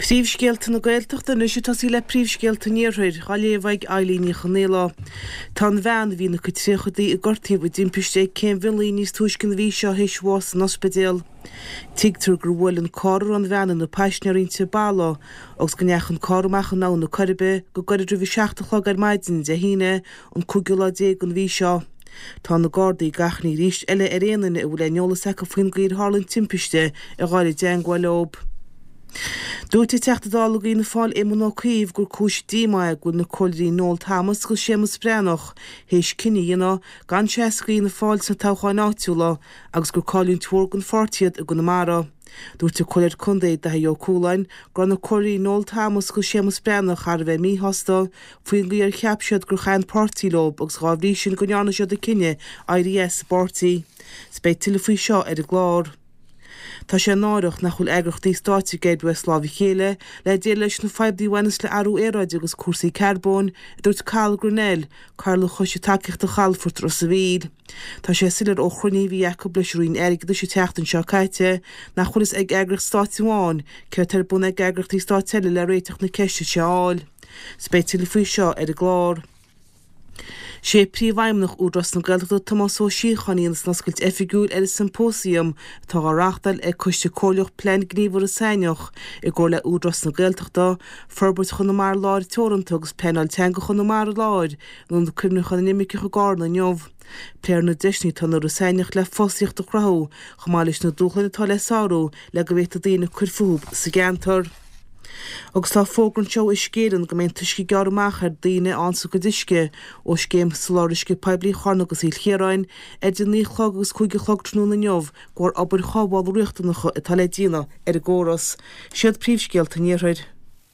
Príomhscéalta na Gaeltachta anois ag tosaí le príomhscéalta an Iarthair, á léamh ag Eilín Ní Chonaola. Tá an bhean a bhí ina cuid tríochadaí a gortaíodh i dtimpiste ag Cé an Mhionlaigh níos túisce an mhí seo théis bháis san ospidéal. Tuigtear gur bhuail an carr a raibh an bhean ina paisinéir inti balla agus go ndeachaigh an carr amach in Abhainn na Coiribe go gairid roimh a 7 a chlog ar maidin Dé hAoine an cúigiú lá déag den mhí seo. Tá na Gardaí ag achainí arís eile ar aon duine a bhfuil aon eolas acu faoin gcaoi ar tharla an timpiste a ghabháil i dteangmháil leo. Dúirt an Teachta Dála d'Fhianna Fáil Éamon Ó Cuív gur cúis díomá é go bhfuil na Comhairleoirí Noel Thomas agus Séamus Breathnach théis cinneadh a dhéanamh gan seasamh d'Fhianna Fáil sna toghcháin áitiúla agus gur cailliúint mhór don pháirtí iad i gConamara. Dúirt an Comhairleoir Contae Daithí Ó Cualáin go raibh na Comhairleoirí Noel Thomas agus Séamus Breathnach thar a bheith míshásta faoin gcaoi ar cheap siad gur chaith an páirtí leo agus dhá bhrí sin go ndearna siad an cinneadh éirí as an bpáirtí. 'S beidh tuilleadh faoi seo ar an gclár. Tá sé náireach nach bhfuil eagraíochtaí stáit ag oibriú as lámh a chéile le déileáil leis na fadhbanna a bhaineas le athrú aeráide agus cúrsaí carbóin, a dúirt Cathal Grennell, Cathaoirleach Choiste Tacaíochta Chalafort Ros a' Mhíl. Tá sé soiléir ó chruinnithe a bhí acu leis an Roinn Airgeadais an tseachtain seo caite nach bhfuil fhios ag eagraíocht stáit amháin céard atá ar bun ag eagraíochtaí stáit eile le réiteach na ceiste seo a fháil. 'S beidh tuilleadh faoi seo ar an gclár. Sé Príomhfheidhmeannach Údarás na Gaeltachta Tomás Ó Síocháin a dhéanfas an oscailt oifigiúil ar an Symposium atá á reáchtáil ag Coiste Comhairleach Plean Gníomh Iorras Aithneach i gcomhar le Údarás na Gaeltachta, Forbairt Chonamara Láir Teoranta agus Pleanáil Teanga Chonamara Láir in Ionad Cuimhneacháin na nImirceach i gCarna inniu. Pléifear na deiseanna atá in Iorras Aithneach le fostaíocht a chruthú chomh maith leis na dúshláin atá le sárú le go bhféadfaidh daoine cur fúthu sa gceantar. Agus tá fógra anseo ó Uisce Éireann go mbeidh an t-uisce ag gearradh amach ar daoine a fhaigheanns a gcuid uisce ó scéim soláthar uisce poiblí Charna agus Chill Chiaráin idir 9 a chlog agus 5 a chlog tráthnóna inniu de bharr obair chothabhála riachtanacha atá le déanamh ar an gcóras. Siad príomhscéalta an Iarthair.